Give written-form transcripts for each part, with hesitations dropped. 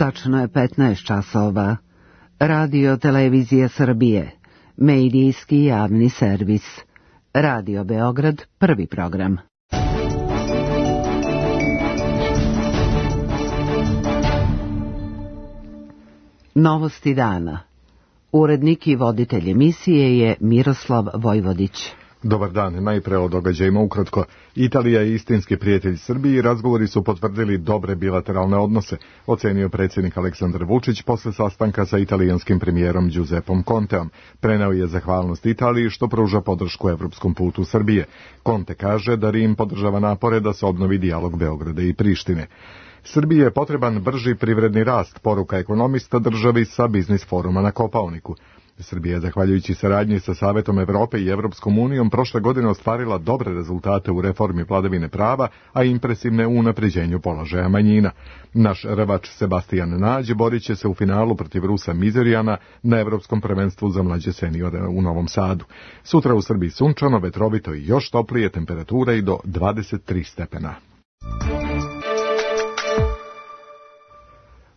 Tačno je 15 časova. Radio Televizija Srbije, medijski javni servis. Radio Beograd, prvi program. Novosti dana. Urednik i voditelj emisije je Miroslav Vojvodić. Dobar dan, najpre o događajima ukratko. Italija je istinski prijatelj Srbiji i razgovori su potvrdili dobre bilateralne odnose, ocenio predsjednik Aleksandar Vučić posle sastanka sa italijanskim premijerom Giuseppom Conteom. Preneo je zahvalnost Italiji što pruža podršku evropskom putu Srbije. Conte kaže da Rim podržava napore da se obnovi dijalog Beograda i Prištine. Srbiji je potreban brži privredni rast, poruka ekonomista državi sa biznis foruma na Kopaoniku. Srbija je, zahvaljujući saradnji sa Savetom Evrope i Evropskom unijom, prošle godine ostvarila dobre rezultate u reformi vladavine prava, a impresivne u unapređenju položaja manjina. Naš rvač Sebastian Nađ borit će se u finalu protiv Rusa Mizerijana na Evropskom prvenstvu za mlađe seniore u Novom Sadu. Sutra u Srbiji sunčano, vetrovito i još toplije, temperatura i do 23 stepena.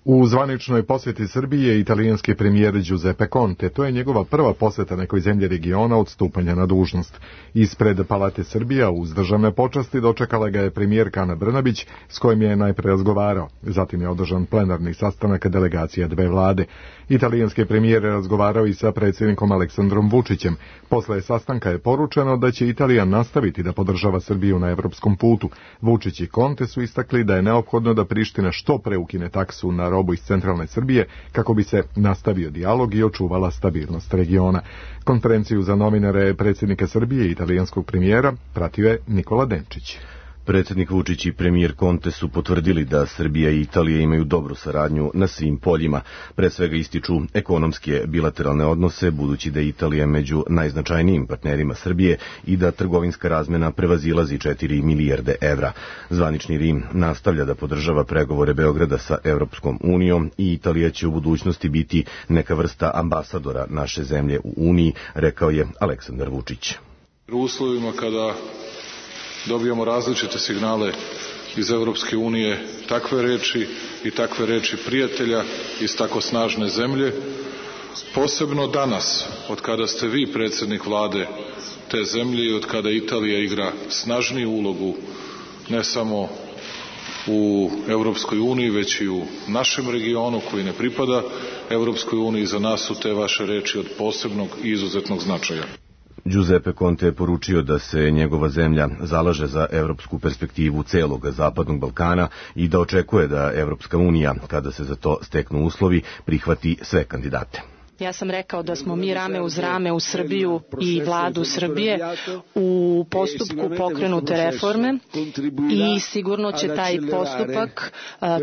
U zvaničnoj posjeti Srbije italijanski premijer Giuseppe Conte, to je njegova prva posjeta nekoj zemlji regiona od stupanja na dužnost. Ispred Palate Srbija uz državne počasti dočekala ga je premijerka Ana Brnabić, s kojim je najpre razgovarao. Zatim je održan plenarni sastanak delegacija dve vlade. Italijanski premijer je razgovarao i sa predsjednikom Aleksandrom Vučićem. Posle sastanka je poručeno da će Italija nastaviti da podržava Srbiju na evropskom putu. Vučić i Conte su istakli da je neophodno da Priština što pre ukine taksu na robu iz centralne Srbije kako bi se nastavio dijalog i očuvala stabilnost regiona. Konferenciju za novinare predsjednika Srbije i italijanskog premijera pratio je Nikola Denčić. Predsjednik Vučić i premijer Conte su potvrdili da Srbija i Italija imaju dobru saradnju na svim poljima. Pre svega ističu ekonomske bilateralne odnose, budući da je Italija među najznačajnijim partnerima Srbije i da trgovinska razmena prevazilazi 4 milijarde evra. Zvanični Rim nastavlja da podržava pregovore Beograda sa Evropskom unijom i Italija će u budućnosti biti neka vrsta ambasadora naše zemlje u Uniji, rekao je Aleksandar Vučić. U uslovima kada dobijamo različite signale iz Evropske unije, takve reči prijatelja iz tako snažne zemlje, posebno danas, od kada ste vi predsjednik vlade te zemlje i od kada Italija igra snažniju ulogu ne samo u Evropskoj uniji, već i u našem regionu koji ne pripada Evropskoj uniji, za nas su te vaše reči od posebnog i izuzetnog značaja. Giuseppe Conte je poručio da se njegova zemlja zalaže za evropsku perspektivu celog Zapadnog Balkana i da očekuje da Evropska unija, kada se za to steknu uslovi, prihvati sve kandidate. Ja sam rekao da smo mi rame uz rame u Srbiju i vladu Srbije u postupku pokrenute reforme i sigurno će taj postupak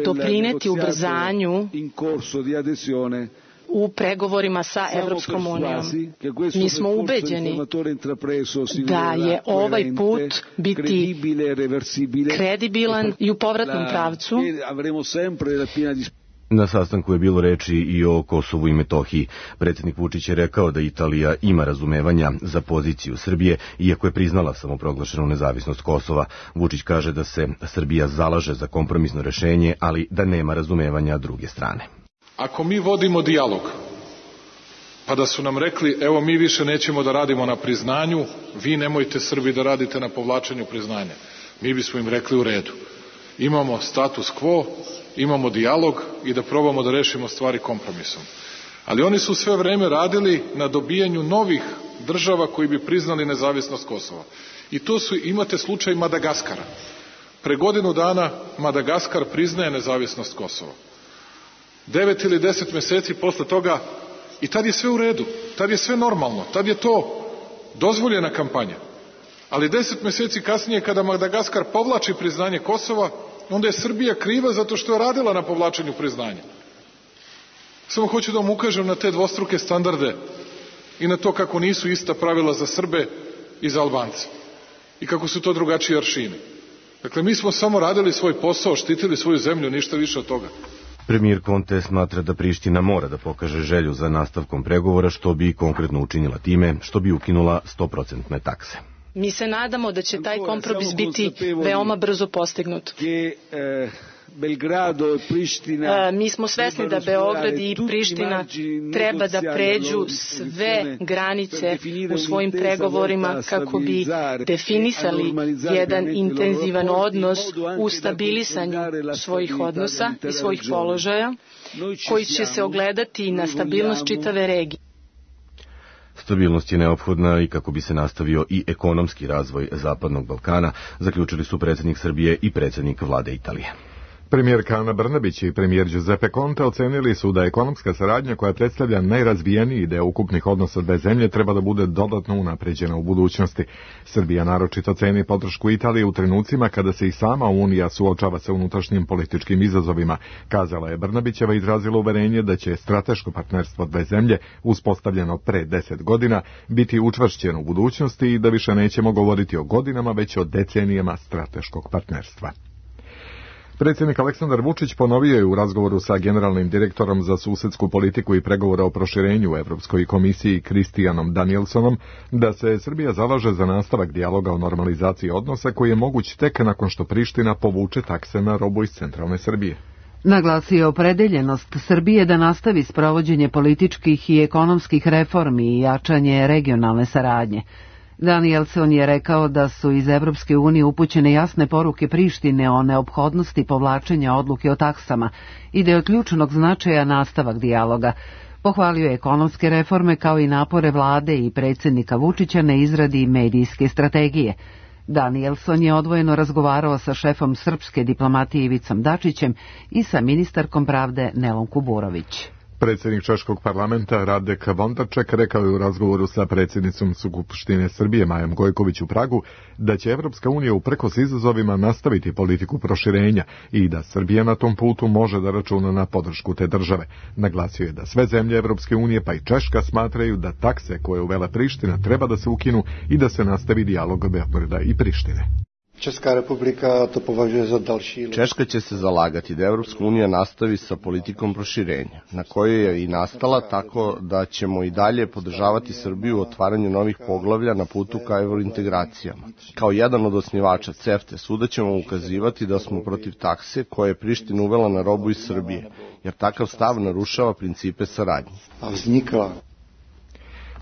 doprineti ubrzanju u pregovorima sa Evropskom unijom. Mi smo ubeđeni da je ovaj put biti kredibilan i u povratnom pravcu. Na sastanku je bilo reči i o Kosovu i Metohiji. Predsjednik Vučić je rekao da Italija ima razumevanja za poziciju Srbije, iako je priznala samoproglašenu nezavisnost Kosova. Vučić kaže da se Srbija zalaže za kompromisno rešenje, ali da nema razumevanja druge strane. Ako mi vodimo dijalog, pa da su nam rekli, evo mi više nećemo da radimo na priznanju, vi nemojte Srbi da radite na povlačenju priznanja, mi bismo im rekli u redu. Imamo status quo, imamo dijalog i da probamo da rešimo stvari kompromisom. Ali oni su sve vreme radili na dobijanju novih država koji bi priznali nezavisnost Kosova. I to imate slučaj Madagaskara. Pre godinu dana Madagaskar priznaje nezavisnost Kosova. 9 ili 10 meseci posle toga i tad je sve u redu, tad je sve normalno, tad je to dozvoljena kampanja. Ali 10 meseci kasnije kada Madagaskar povlači priznanje Kosova, onda je Srbija kriva zato što je radila na povlačenju priznanja. Samo hoću da vam ukažem na te dvostruke standarde i na to kako nisu ista pravila za Srbe i za Albance i kako su to drugačiji aršini. Dakle, mi smo samo radili svoj posao, štitili svoju zemlju, ništa više od toga. Premijer Conte smatra da Priština mora da pokaže želju za nastavkom pregovora, što bi konkretno učinila time što bi ukinula 100% takse. Mi se nadamo da će taj kompromis biti veoma brzo postignut. Mi smo svesni da Beograd i Priština treba da pređu sve granice u svojim pregovorima kako bi definisali jedan intenzivan odnos u stabilisanju svojih odnosa i svojih položaja koji će se ogledati na stabilnost čitave regije. Stabilnost je neophodna i kako bi se nastavio i ekonomski razvoj Zapadnog Balkana, zaključili su predsjednik Srbije i predsjednik vlade Italije. Premijerka Ana Brnabić i premijer Giuseppe Conte ocenili su da ekonomska saradnja koja predstavlja najrazvijeniji deo ukupnih odnosa dve zemlje treba da bude dodatno unapređena u budućnosti. Srbija naročito ceni podršku Italije u trenucima kada se i sama Unija suočava sa unutrašnjim političkim izazovima, kazala je Brnabićeva i izrazila uverenje da će strateško partnerstvo dve zemlje, uspostavljeno pre 10 godina, biti učvršćeno u budućnosti i da više nećemo govoriti o godinama, već o decenijama strateškog partnerstva. Predsjednik Aleksandar Vučić ponovio je u razgovoru sa generalnim direktorom za susedsku politiku i pregovore o proširenju u Evropskoj komisiji Kristijanom Danielsonom da se Srbija zalaže za nastavak dijaloga o normalizaciji odnosa koji je moguć tek nakon što Priština povuče takse na robu iz centralne Srbije. Naglasio je opredeljenost Srbije da nastavi sprovođenje političkih i ekonomskih reformi i jačanje regionalne saradnje. Danielson je rekao da su iz Evropske unije upućene jasne poruke Prištine o neophodnosti povlačenja odluke o taksama i da je od ključnog značaja nastavak dijaloga. Pohvalio je ekonomske reforme kao i napore vlade i predsjednika Vučića na izradi medijske strategije. Danielson je odvojeno razgovarao sa šefom srpske diplomatije Ivicom Dačićem i sa ministarkom pravde Nelom Kuburović. Predsjednik Češkog parlamenta Radek Vondarček rekao je u razgovoru sa predsjednicom Skupštine Srbije Majom Gojković u Pragu da će Evropska unija uprkos izazovima nastaviti politiku proširenja i da Srbija na tom putu može da računa na podršku te države. Naglasio je da sve zemlje Evropske unije pa i Češka smatraju da takse koje uvela Priština treba da se ukinu i da se nastavi dijalog Beograda i Prištine. Češka će se zalagati da Evropska unija nastavi sa politikom proširenja, na kojoj je i nastala, tako da ćemo i dalje podržavati Srbiju u otvaranju novih poglavlja na putu ka evrointegracijama. Kao jedan od osnivača CEFTA svuda ćemo ukazivati da smo protiv takse koje je Priština uvela na robu iz Srbije, jer takav stav narušava principe saradnje.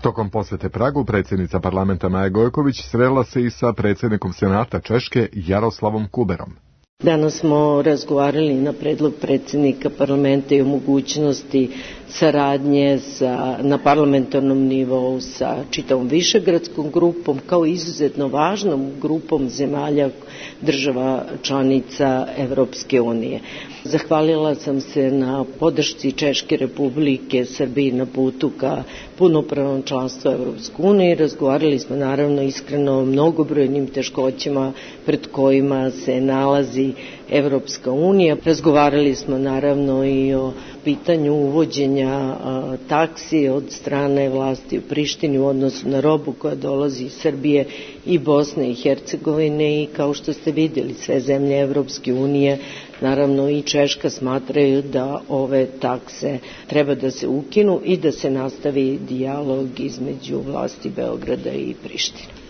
Tokom posete Pragu, predsjednica parlamenta Maja Gojković srela se i sa predsjednikom Senata Češke Jaroslavom Kuberom. Danas smo razgovarali na predlog predsjednika parlamenta i o mogućnosti saradnje na parlamentarnom nivou sa čitavom višegradskom grupom, kao izuzetno važnom grupom zemalja država članica Evropske unije. Zahvalila sam se na podršci Češke Republike Srbiji na putu ka punopravnom članstvu Evropske unije. Razgovarali smo naravno iskreno o mnogobrojnim teškoćama pred kojima se nalazi Evropska unija. Razgovarali smo naravno i o pitanju uvođenja taksi od strane vlasti u Prištini u odnosu na robu koja dolazi iz Srbije i Bosne i Hercegovine i kao što ste vidjeli sve zemlje Evropske unije, naravno i Češka, smatraju da ove takse treba da se ukinu i da se nastavi dijalog između vlasti Beograda i Prištine.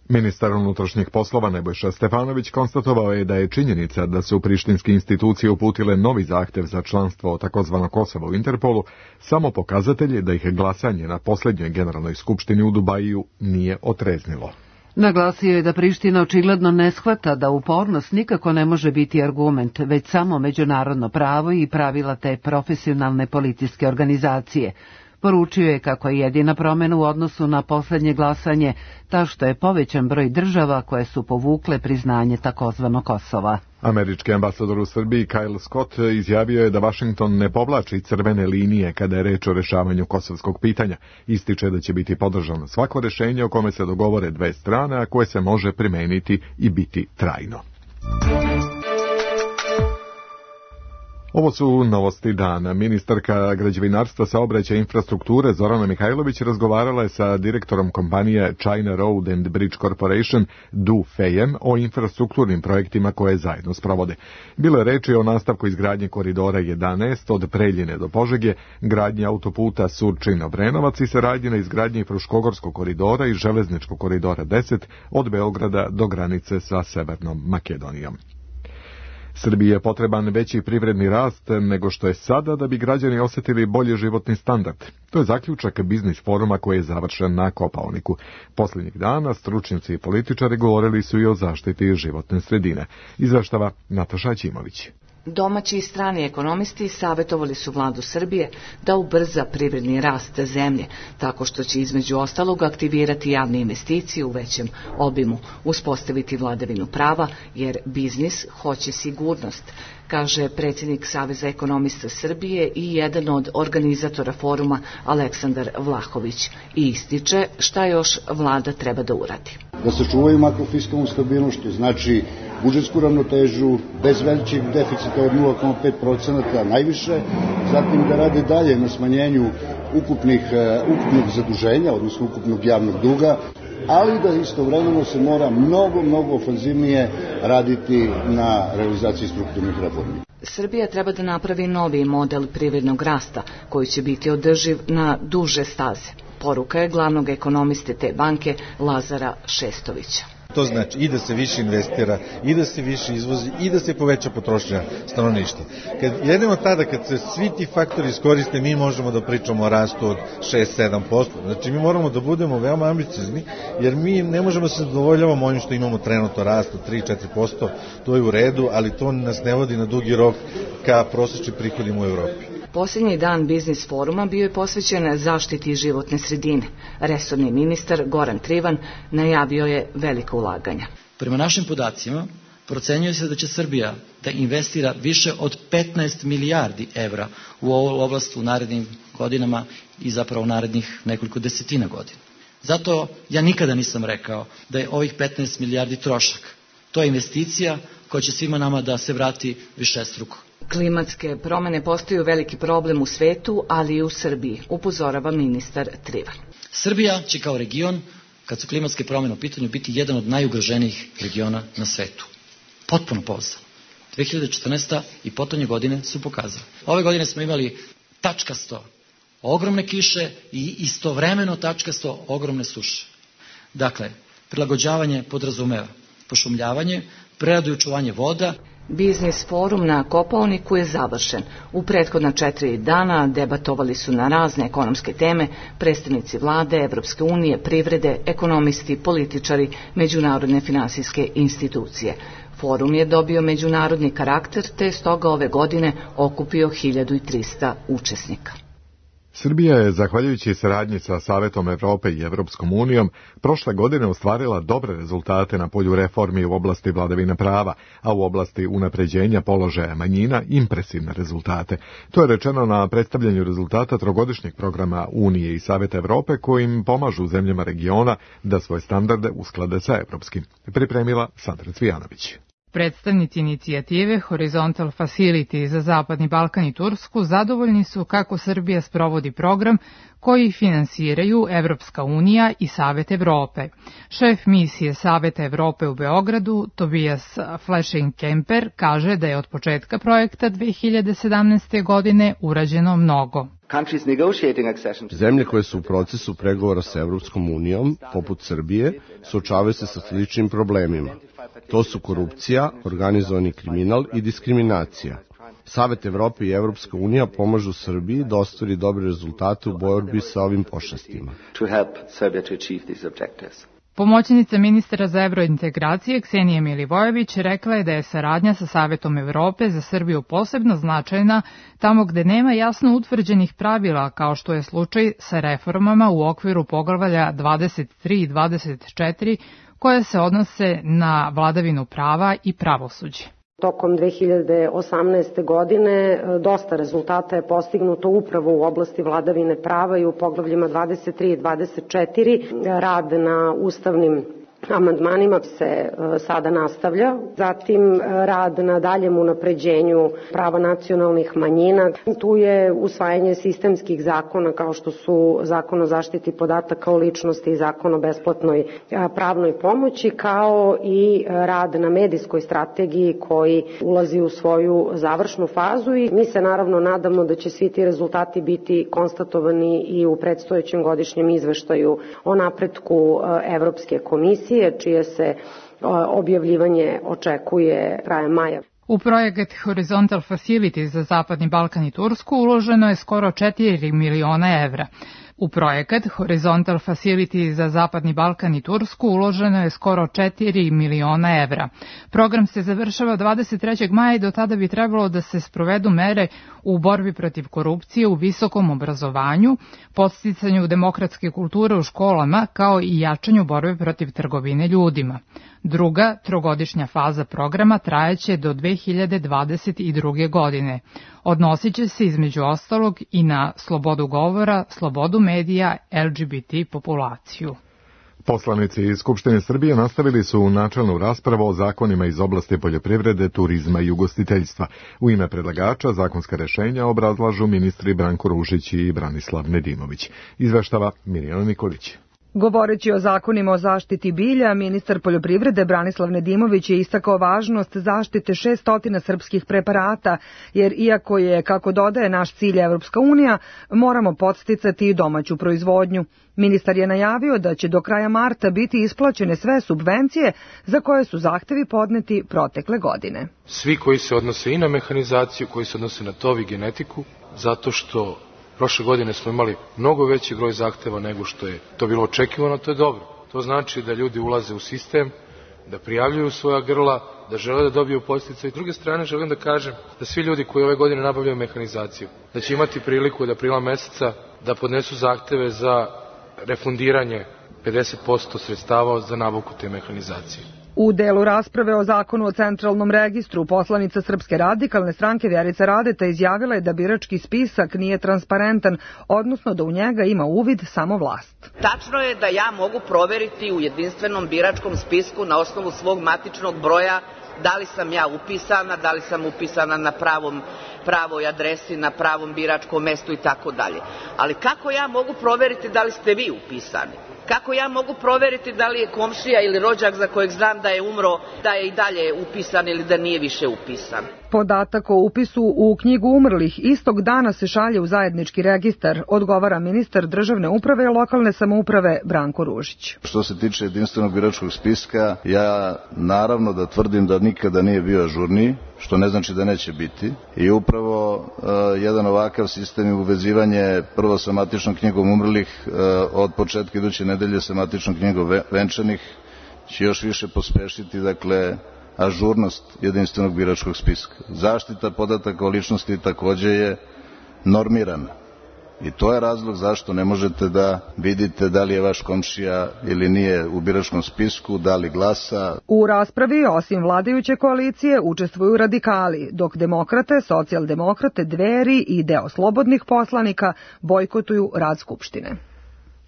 Ministar unutrašnjih poslova Nebojša Stefanović konstatovao je da je činjenica da su prištinske institucije uputile novi zahtev za članstvo takozvano Kosovo u Interpolu samo pokazatelj da ih glasanje na posljednjoj generalnoj skupštini u Dubaju nije otreznilo. Naglasio je da Priština očigledno ne shvata da upornost nikako ne može biti argument, već samo međunarodno pravo i pravila te profesionalne policijske organizacije. Poručio je kako je jedina promjena u odnosu na posljednje glasanje ta što je povećan broj država koje su povukle priznanje takozvano Kosova. Američki ambasador u Srbiji Kyle Scott izjavio je da Washington ne povlači crvene linije kada je reč o rešavanju kosovskog pitanja. Ističe da će biti podržano svako rešenje o kome se dogovore dve strane, a koje se može primeniti i biti trajno. Ovo su novosti dana. Ministarka građevinarstva, saobraćaja i infrastrukture Zorana Mihajlović razgovarala je sa direktorom kompanije China Road and Bridge Corporation Du Feijem o infrastrukturnim projektima koje zajedno sprovode. Bilo je reči o nastavku izgradnje koridora 11 od Preljine do Požege, gradnje autoputa Surčin-Obrenovac i saradnje na izgradnji Fruškogorskog koridora i železničkog koridora 10 od Beograda do granice sa Severnom Makedonijom. Srbiji je potreban veći privredni rast nego što je sada da bi građani osjetili bolji životni standard. To je zaključak biznis foruma koji je završen na Kopaoniku. Posljednjih dana stručnjaci i političari govorili su i o zaštiti životne sredine. Izveštava Nataša Ćimović. Domaći i strani ekonomisti savjetovali su vladu Srbije da ubrza privredni rast zemlje, tako što će između ostalog aktivirati javne investicije u većem obimu, uspostaviti vladavinu prava, jer biznis hoće sigurnost, kaže predsjednik Saveza ekonomista Srbije i jedan od organizatora foruma Aleksandar Vlahović, i ističe šta još vlada treba da uradi. Da sačuvaju makrofiskalnu stabilnost, što znači budžetsku ravnotežu, bez većeg deficita od 0,5% najviše, zatim da rade dalje na smanjenju ukupnog zaduženja, odnosno ukupnog javnog duga, ali da istovremeno se mora mnogo ofanzivnije raditi na realizaciji strukturnih reformi. Srbija treba da napravi novi model privrednog rasta koji će biti održiv na duže staze. Poruka je glavnog ekonomiste te banke Lazara Šestovića. To znači i da se više investira, i da se više izvozi, i da se poveća potrošnja stanovništva. Jedino tada kad se svi ti faktori iskoriste, mi možemo da pričamo o rastu od 6-7%. Znači mi moramo da budemo veoma ambiciozni, jer mi ne možemo se zadovoljavamo onim što imamo trenutno rast od 3-4%, to je u redu, ali to nas ne vodi na dugi rok ka prosječnim prihodima u Evropi. Posljednji dan biznis foruma bio je posvećen zaštiti životne sredine. Resorni ministar Goran Trivan najavio je velika ulaganja. Prema našim podacima, procenjuje se da će Srbija da investira više od 15 milijardi evra u ovu oblast u narednim godinama i zapravo u narednih nekoliko desetina godina. Zato ja nikada nisam rekao da je ovih 15 milijardi trošak. To je investicija koja će svima nama da se vrati višestruko. Klimatske promjene postaju veliki problem u svetu, ali i u Srbiji, upozorava ministar Trivan. Srbija će kao region, kad su klimatske promjene u pitanju, biti jedan od najugroženijih regiona na svetu. Potpuno pouzdano. 2014. i potonje godine su pokazali. Ove godine smo imali tačkasto ogromne kiše i istovremeno tačkasto ogromne suše. Dakle, prilagođavanje podrazumeva pošumljavanje, preradu i očuvanje voda. Biznis forum na Kopaoniku je završen. U prethodna 4 dana debatovali su na razne ekonomske teme predstavnici vlade, Evropske unije, privrede, ekonomisti, političari, međunarodne finansijske institucije. Forum je dobio međunarodni karakter, te stoga ove godine okupio 1300 učesnika. Srbija je, zahvaljujući saradnji sa Savetom Evrope i Evropskom unijom, prošle godine ostvarila dobre rezultate na polju reformi u oblasti vladavine prava, a u oblasti unapređenja položaja manjina impresivne rezultate. To je rečeno na predstavljanju rezultata trogodišnjeg programa Unije i Saveta Evrope kojim pomažu zemljama regiona da svoje standarde usklade sa evropskim. Pripremila Sandra Cvijanović. Predstavnici inicijative Horizontal Facility za Zapadni Balkan i Tursku zadovoljni su kako Srbija sprovodi program koji finansiraju Evropska unija i Savet Evrope. Šef misije Saveta Evrope u Beogradu, Tobias Flesching-Kemper, kaže da je od početka projekta 2017. godine urađeno mnogo. Zemlje koje su u procesu pregovora sa Evropskom unijom, poput Srbije, suočavaju se sa sličnim problemima. To su korupcija, organizovani kriminal i diskriminacija. Savet Evrope i Evropska unija pomažu Srbiji da ostvari dobre rezultate u borbi sa ovim pošastima. Pomoćnica ministra za evrointegracije Ksenija Milivojević rekla je da je saradnja sa Savetom Evrope za Srbiju posebno značajna tamo gde nema jasno utvrđenih pravila, kao što je slučaj sa reformama u okviru poglavlja 23 i 24 koje se odnose na vladavinu prava i pravosuđe. Tokom 2018. godine dosta rezultata je postignuto upravo u oblasti vladavine prava i u poglavljima 23 i 24. Rad na ustavnim amandmanima se sada nastavlja. Zatim rad na daljem unapređenju prava nacionalnih manjina. Tu je usvajanje sistemskih zakona kao što su Zakon o zaštiti podataka o ličnosti i Zakon o besplatnoj pravnoj pomoći, kao i rad na medijskoj strategiji koji ulazi u svoju završnu fazu i mi se naravno nadamo da će svi ti rezultati biti konstatovani i u predstojećem godišnjem izveštaju o napretku Evropske komisije, čije se objavljivanje očekuje krajem maja. U projekat Horizontal Facility za Zapadni Balkan i Tursku uloženo je skoro 4 miliona evra. U projekat Horizontal Facility za Zapadni Balkan i Tursku uloženo je skoro 4 miliona evra. Program se završava 23. maja i do tada bi trebalo da se sprovedu mere u borbi protiv korupcije u visokom obrazovanju, podsticanju demokratske kulture u školama, kao i jačanju borbe protiv trgovine ljudima. Druga, trogodišnja faza programa trajaće do 2022. godine. Odnosit će se između ostalog i na slobodu govora, slobodu medija, LGBT populaciju. Poslanici iz Skupštine Srbije nastavili su načelnu raspravu o zakonima iz oblasti poljoprivrede, turizma i ugostiteljstva. U ime predlagača zakonska rešenja obrazlažu ministri Branko Ružić i Branislav Nedimović. Izveštava Mirjana Nikolić. Govoreći o zakonima o zaštiti bilja, ministar poljoprivrede Branislav Nedimović je istakao važnost zaštite 600 srpskih preparata, jer iako je, kako dodaje, naš cilj Evropska unija, moramo podsticati i domaću proizvodnju. Ministar je najavio da će do kraja marta biti isplaćene sve subvencije za koje su zahtevi podneti protekle godine. Svi koji se odnose i na mehanizaciju, koji se odnose na tov i genetiku, zato što prošle godine smo imali mnogo veći broj zahteva nego što je to bilo očekivano, to je dobro. To znači da ljudi ulaze u sistem, da prijavljuju svoja grla, da žele da dobiju podsticaj. S druge strane želim da kažem da svi ljudi koji ove godine nabavljaju mehanizaciju, da će imati priliku da aprila meseca da podnesu zahteve za refundiranje 50% sredstava za nabavku te mehanizacije. U delu rasprave o zakonu o centralnom registru, poslanica Srpske radikalne stranke Vjerica Radeta izjavila je da birački spisak nije transparentan, odnosno da u njega ima uvid samo vlast. Tačno je da ja mogu proveriti u jedinstvenom biračkom spisku na osnovu svog matičnog broja da li sam ja upisana, da li sam upisana na pravoj adresi, na pravom biračkom mestu i tako dalje. Ali kako ja mogu proveriti da li ste vi upisani? Kako ja mogu proveriti da li je komšija ili rođak za kojeg znam da je umro, da je i dalje upisan ili da nije više upisan? Podatak o upisu u knjigu umrlih istog dana se šalje u zajednički registar, odgovara ministar državne uprave i lokalne samouprave Branko Ružić. Što se tiče jedinstvenog biračkog spiska, ja naravno da tvrdim da nikada nije bio ažurniji, što ne znači da neće biti. I upravo jedan ovakav sistem je uvezivanje prvo sa matičnom knjigom umrlih, od početka iduće nedelje sa matičnom knjigom venčanih, će još više pospešiti, dakle, ažurnost jedinstvenog biračkog spiska. Zaštita podataka o ličnosti takođe je normirana. I to je razlog zašto ne možete da vidite da li je vaš komšija ili nije u biračkom spisku, da li glasa. U raspravi, osim vladajuće koalicije, učestvuju radikali, dok demokrate, socijaldemokrate, Dveri i deo slobodnih poslanika bojkotuju rad Skupštine.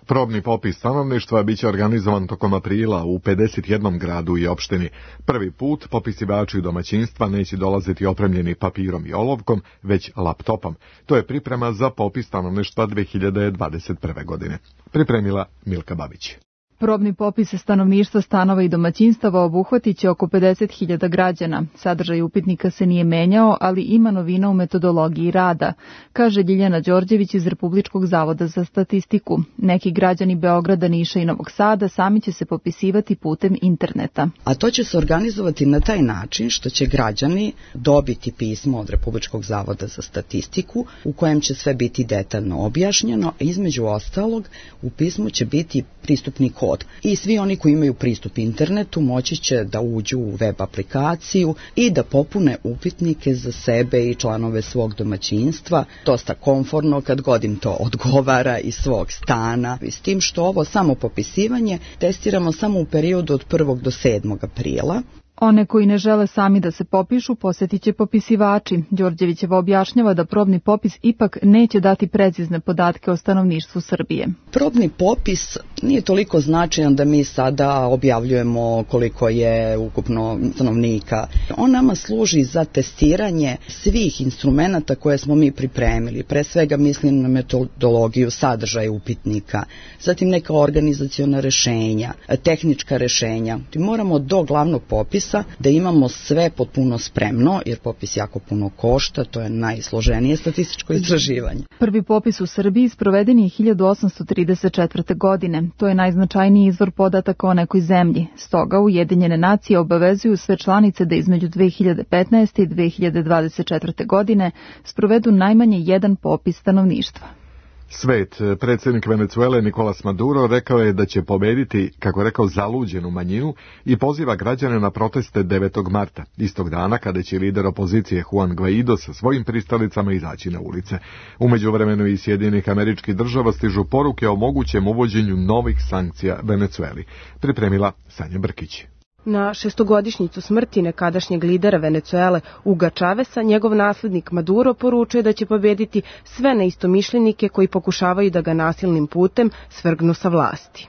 Probni popis stanovništva biće organizovan tokom aprila u 51 gradu i opštini. Prvi put popisivači domaćinstva neće dolaziti opremljeni papirom i olovkom, već laptopom. To je priprema za popis stanovništva 2021. godine. Pripremila Milka Babić. Probni popis stanovništva, stanova i domaćinstava obuhvatit će oko 50.000 građana. Sadržaj upitnika se nije menjao, ali ima novina u metodologiji rada, kaže Ljiljana Đorđević iz Republičkog zavoda za statistiku. Neki građani Beograda, Niša i Novog Sada sami će se popisivati putem interneta. A to će se organizovati na taj način što će građani dobiti pismo od Republičkog zavoda za statistiku u kojem će sve biti detaljno objašnjeno, a između ostalog u pismu će biti pristupni kod. I svi oni koji imaju pristup internetu moći će da uđu u web aplikaciju i da popune upitnike za sebe i članove svog domaćinstva, dosta komforno kad god im to odgovara, iz svog stana. S tim što ovo samo popisivanje testiramo samo u periodu od 1. do 7. aprila. One koji ne žele sami da se popišu, posjetit će popisivači. Đorđevićeva objašnjava da probni popis ipak neće dati precizne podatke o stanovništvu Srbije. Probni popis nije toliko značajan da mi sada objavljujemo koliko je ukupno stanovnika. On nama služi za testiranje svih instrumenata koje smo mi pripremili. Pre svega mislim na metodologiju sadržaja upitnika, zatim neka organizaciona rešenja, tehnička rešenja. Moramo do glavnog popisa da imamo sve potpuno spremno, jer popis jako puno košta, to je najsloženije statističko istraživanje. Prvi popis u Srbiji sproveden je 1834. godine. To je najznačajniji izvor podataka o nekoj zemlji. Stoga Ujedinjene nacije obavezuju sve članice da između 2015. i 2024. godine sprovedu najmanje jedan popis stanovništva. Svet, predsjednik Venecuele Nicolas Maduro rekao je da će pobediti, kako je rekao, zaluđenu manjinu i poziva građane na proteste 9. marta, istog dana kada će lider opozicije Juan Guaido sa svojim pristalicama izaći na ulice. U međuvremenu iz Sjedinjenih Američkih Država stižu poruke o mogućem uvođenju novih sankcija Venecueli. Pripremila Sanja Brkić. Na šestogodišnjicu smrti nekadašnjeg lidera Venecuele Huga Chavesa, njegov naslednik Maduro poručuje da će pobediti sve neistomišljenike koji pokušavaju da ga nasilnim putem svrgnu sa vlasti.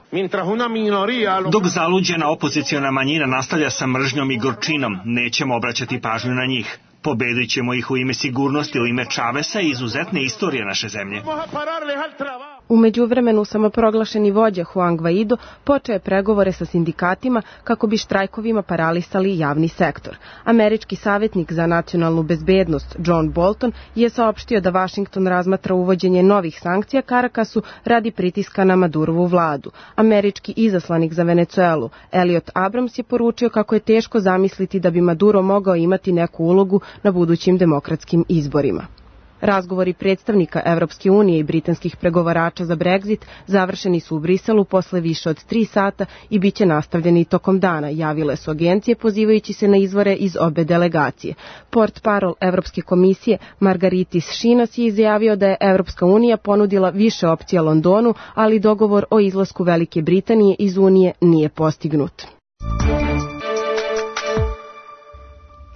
Dok zaluđena opoziciona manjina nastavlja sa mržnjom i gorčinom, nećemo obraćati pažnju na njih. Pobedit ćemo ih u ime sigurnosti, u ime Chavesa i izuzetne istorije naše zemlje. U međuvremenu samoproglašeni vođa Juan Guaido počeo je pregovore sa sindikatima kako bi štrajkovima paralisali javni sektor. Američki savjetnik za nacionalnu bezbednost John Bolton je saopštio da Vašington razmatra uvođenje novih sankcija Carakasu radi pritiska na Madurovu vladu. Američki izaslanik za Venecuelu Elliot Abrams je poručio kako je teško zamisliti da bi Maduro mogao imati neku ulogu na budućim demokratskim izborima. Razgovori predstavnika Evropske unije i britanskih pregovarača za Brexit završeni su u Briselu posle više od 3 sata i bit će nastavljeni tokom dana, javile su agencije pozivajući se na izvore iz obe delegacije. Portparol Evropske komisije Margaritis Šinas je izjavio da je Evropska unija ponudila više opcija Londonu, ali dogovor o izlasku Velike Britanije iz Unije nije postignut.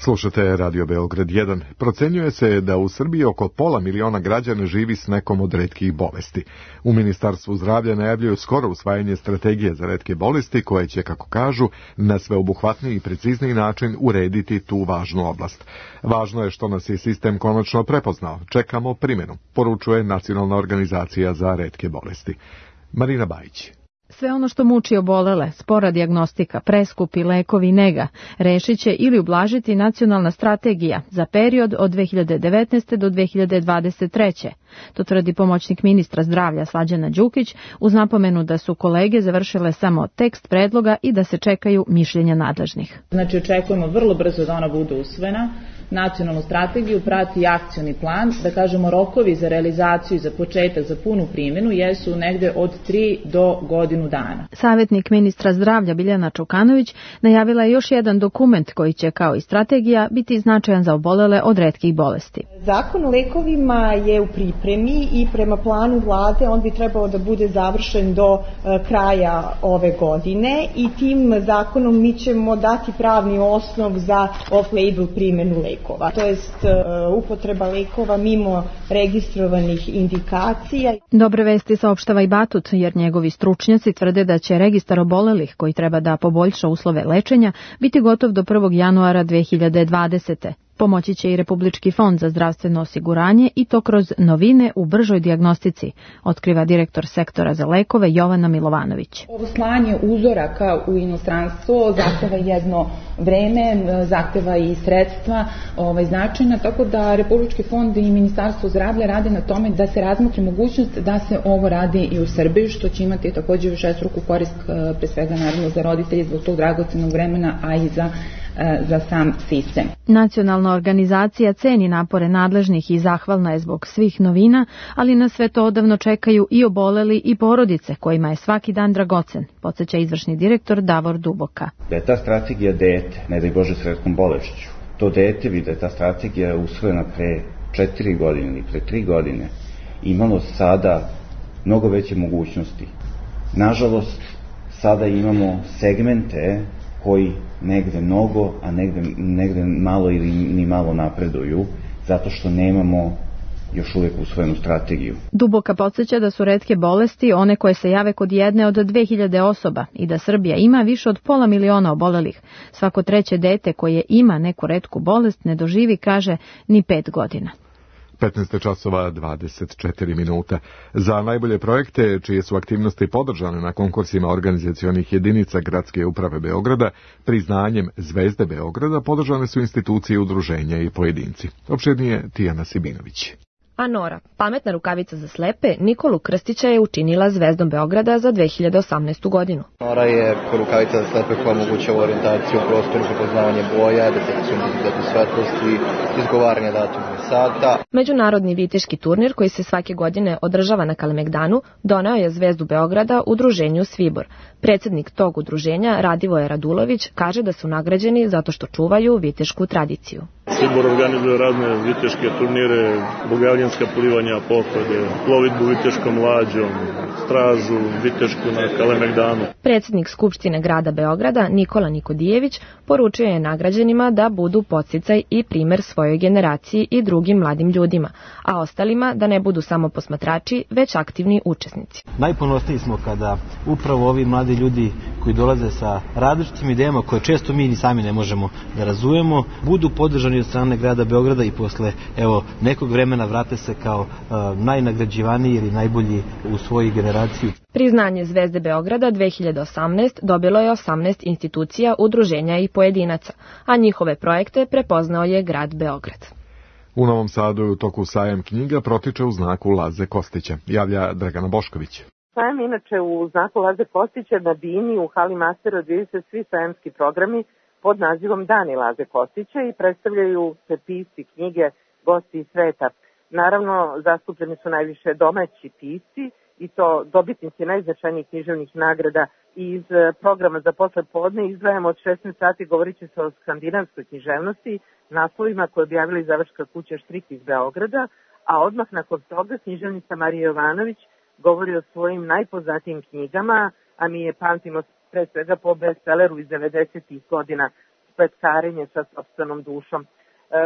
Slušate Radio Beograd 1. Procenjuje se da u Srbiji oko 500.000 građana živi s nekom od retkih bolesti. U Ministarstvu zdravlja najavljuju skoro usvajanje strategije za retke bolesti koje će, kako kažu, na sveobuhvatniji i precizniji način urediti tu važnu oblast. Važno je što nas je sistem konačno prepoznao. Čekamo primjenu, poručuje Nacionalna organizacija za retke bolesti. Marina Bajić. Sve ono što muči obolele, spora dijagnostika, preskupi lekovi i nega, rešit će ili ublažiti nacionalna strategija za period od 2019. do 2023. To tvrdi pomoćnik ministra zdravlja Slađana Đukić uz napomenu da su kolege završile samo tekst predloga i da se čekaju mišljenja nadležnih. Znači očekujemo vrlo brzo da ona bude usvojena. Nacionalnu strategiju prati akcioni plan, da kažemo rokovi za realizaciju i za početak, za punu primjenu jesu negde od 3 do godinu dana. Savjetnik ministra zdravlja Biljana Čukanović najavila je još jedan dokument koji će kao i strategija biti značajan za obolele od retkih bolesti. Zakon o lekovima je u pripremi i prema planu vlade on bi trebao da bude završen do kraja ove godine i tim zakonom mi ćemo dati pravni osnov za off-label primjenu lekova. To jest upotreba lekova mimo registrovanih indikacija. Dobre vesti saopštava i Batut, jer njegovi stručnjaci tvrde da će registar obolelih, koji treba da poboljša uslove lečenja, biti gotov do 1. januara 2020. Pomoći će i Republički fond za zdravstveno osiguranje i to kroz novine u bržoj dijagnostici, otkriva direktor sektora za lekove Jovana Milovanović. Ovo slanje uzoraka u inostranstvo zahteva jedno vreme, zahteva i sredstva značajna, tako da Republički fond i Ministarstvo zdravlja rade na tome da se razmotri mogućnost da se ovo radi i u Srbiji, što će imati također višestruku korist, pre svega naravno za roditelje zbog tog dragocenog vremena, a i za sam sistem. Nacionalna organizacija ceni napore nadležnih i zahvalna je zbog svih novina, ali na sve to odavno čekaju i oboleli i porodice kojima je svaki dan dragocen, podsjeća izvršni direktor Davor Duboka. Da je ta strategija dete, ne daj Bože s retkom bolešću, to dete bi da je ta strategija usvojena pre 4 godine ili pre 3 godine, imalo sada mnogo veće mogućnosti. Nažalost, sada imamo segmente koji negde mnogo, a negde malo ili ni malo napreduju, zato što nemamo još uvijek usvojenu strategiju. Duboka podsjeća da su retke bolesti one koje se jave kod jedne od 2000 osoba i da Srbija ima više od 500.000 obolelih. Svako treće dete koje ima neku retku bolest ne doživi, kaže, ni 5 godina. 15:24. Za najbolje projekte, čije su aktivnosti podržane na konkursima organizacionih jedinica Gradske uprave Beograda, priznanjem Zvezde Beograda podržane su institucije, udruženja i pojedinci. Opširnije Tijana Sibinović. A Nora, pametna rukavica za slepe, Nikolu Krstića je učinila Zvezdom Beograda za 2018. godinu. Nora je rukavica za slepe koja omogućava orijentaciju u prostoru, prepoznavanje boja, detekciju intenziteta svetlosti, izgovaranje datuma i sata. Međunarodni viteški turnir koji se svake godine održava na Kalemegdanu doneo je Zvezdu Beograda udruženju Svibor. Predsjednik tog udruženja, Radivoje Radulović, kaže da su nagrađeni zato što čuvaju vitešku tradiciju. Svibor organizuje razne viteške turnire, bogavljanska plivanja, pohode, plovidbu viteškom lađom, stražu vitešku na Kalemegdanu. Predsjednik Skupštine grada Beograda, Nikola Nikodijević, poručio je nagrađenima da budu podsticaj i primer svojoj generaciji i drugim mladim ljudima, a ostalima da ne budu samo posmatrači, već aktivni učesnici. Najponosniji smo kada upravo ovi mladi ljudi koji dolaze sa različitim idejama koje često mi ni sami ne možemo da razumemo, budu podržani od strane grada Beograda i posle nekog vremena vrate se kao najnagrađivaniji ili najbolji u svojoj generaciji. Priznanje Zvezde Beograda 2018 dobilo je 18 institucija, udruženja i pojedinaca, a njihove projekte prepoznao je grad Beograd. U Novom Sadu je u toku sajam knjiga protiče u znaku Laze Kostića, javlja Dragana Bošković. Sajam inače u znaku Laze Kostića na bini u hali Mastera odvijaju se svi sajamski programi pod nazivom Dani Laze Kostića i predstavljaju se pisci, knjige, gosti iz sveta. Naravno, zastupljeni su najviše domaći pisci i to dobitnici najznačajnijih književnih nagrada. Iz programa za posle podne izdvajamo od 16 sati, govorit će se o skandinavskoj književnosti, naslovima koje objavila izdavačka kuća Štrik iz Beograda, a odmah nakon toga književnica Marija Jovanović govori o svojim najpoznatijim knjigama, a mi je pamtimo pre svega po bestselleru iz 90-ih godina Spletkarenje sa sopstvenom dušom.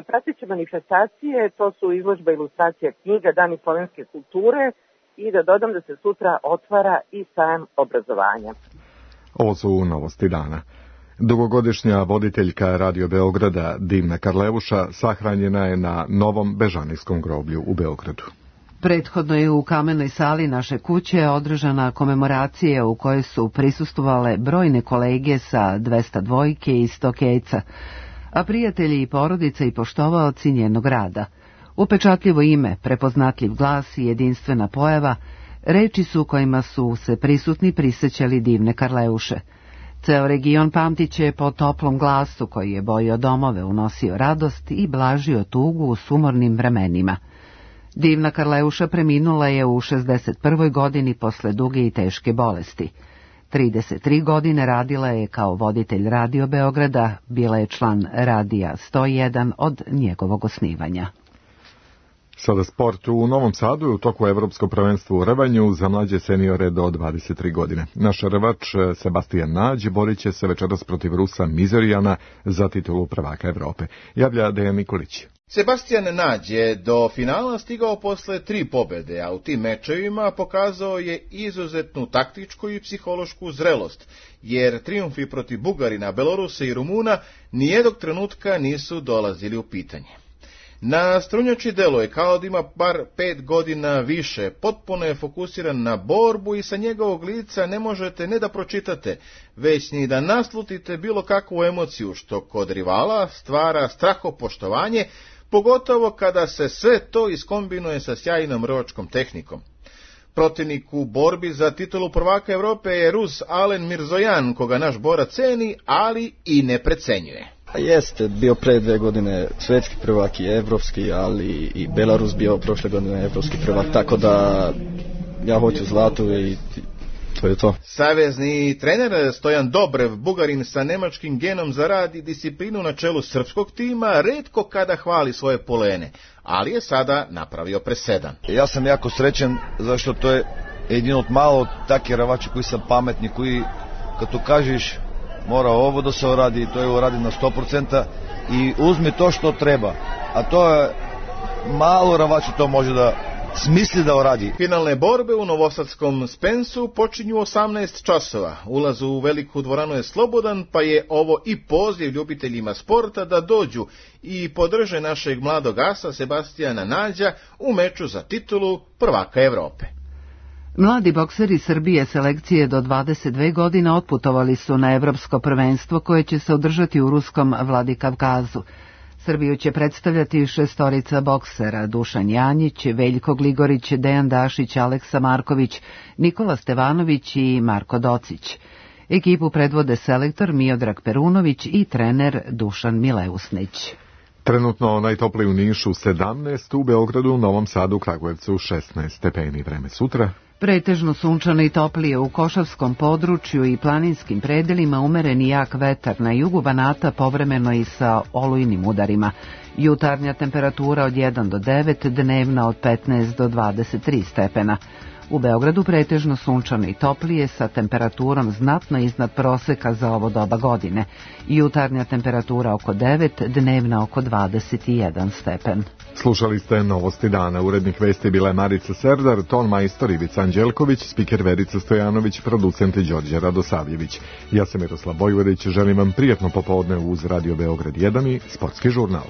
Prateće manifestacije, to su izložba ilustracija knjiga, Dani slovenske kulture i da dodam da se sutra otvara i sajam obrazovanja. Ovo su novosti dana. Dugogodišnja voditeljka Radio Beograda Divna Karleuša sahranjena je na novom Bežanijskom groblju u Beogradu. Prethodno je u kamenoj sali naše kuće održana komemoracija u kojoj su prisustvovale brojne kolege sa 202 i 100 kejca, a prijatelji i porodica i poštovaoci njenog rada. Upečatljivo ime, prepoznatljiv glas i jedinstvena pojava, reči su kojima su se prisutni prisećali Divne Karleuše. Ceo region pamtiće po toplom glasu koji je bojio domove, unosio radost i blažio tugu u sumornim vremenima. Divna Karleuša preminula je u 61. godini posle duge i teške bolesti. 33 godine radila je kao voditelj Radio Beograda, bila je član Radija 101 od njegovog osnivanja. Sada sport. U Novom Sadu je u toku Evropsko prvenstvo u rvanju za mlađe seniore do 23 godine. Naš rvač Sebastian Nađ borit će se večeras protiv Rusa Mizorijana za titulu prvaka Evrope. Javlja Dejan Nikolić. Sebastian Nađ je do finala stigao posle 3 pobede, a u tim mečevima pokazao je izuzetnu taktičku i psihološku zrelost, jer trijumfi protiv Bugarina, Belorusa i Rumuna nijednog trenutka nisu dolazili u pitanje. Na strunjači deluje kao da ima bar 5 godina više, potpuno je fokusiran na borbu i sa njegovog lica ne možete ne da pročitate, već ni da naslutite bilo kakvu emociju, što kod rivala stvara strahopoštovanje, pogotovo kada se sve to iskombinuje sa sjajnom rvačkom tehnikom. Protivnik u borbi za titulu prvaka Evrope je Rus Alen Mirzojan, koga naš borac ceni, ali i ne precenjuje. Jeste, bio pre 2 godine svetski prvak i evropski, ali i Belarus bio prošle godine evropski prvak, tako da ja hoću zlato i to je to. Savezni trener Stojan Dobrev, Bugarin sa nemačkim genom za rad i disciplinu na čelu srpskog tima, retko kada hvali svoje polene, ali je sada napravio presedan. Ja sam jako srećan, zašto to je jedino od malo takve ravače koji sam pametni, koji kad tu kažeš mora ovo da se uradi, to je uradi na 100% i uzmi to što treba, a to je malo Ravaču to može da smisli da uradi. Finalne borbe u novosadskom Spensu počinju 18 časova. Ulaz u veliku dvoranu je slobodan, pa je ovo i poziv ljubiteljima sporta da dođu i podrže našeg mladog asa Sebastijana Nađa u meču za titulu prvaka Evrope. Mladi bokseri Srbije selekcije do 22 godine otputovali su na evropsko prvenstvo koje će se održati u ruskom Vladikavkazu. Srbiju će predstavljati šestorica boksera: Dušan Janjić, Veljko Gligorić, Dejan Dašić, Aleksa Marković, Nikola Stevanović i Marko Docić. Ekipu predvode selektor Miodrag Perunović i trener Dušan Mileusnić. Trenutno najtopliji u Nišu 17, u Beogradu, Novom Sadu, Kragujevcu 16 stepeni. Vreme sutra. Pretežno sunčano i toplije u Košavskom području i planinskim predelima, umereni jak vetar, na jugu Banata povremeno i sa olujnim udarima. Jutarnja temperatura od 1 do 9, dnevna od 15 do 23 stepena. U Beogradu pretežno sunčano i toplije sa temperaturom znatno iznad proseka za ovo doba godine. Jutarnja temperatura oko 9, dnevna oko 21 stepen. Slušali ste Novosti dana. Urednik vesti bila je Marica Serdar, ton majstor Ivica Anđelković, spiker Verica Stojanović, producent Đorđe Radosavljević. Ja sam Miroslav Vojvodić, želim vam prijatno popodne uz Radio Beograd 1 i Sportski žurnal.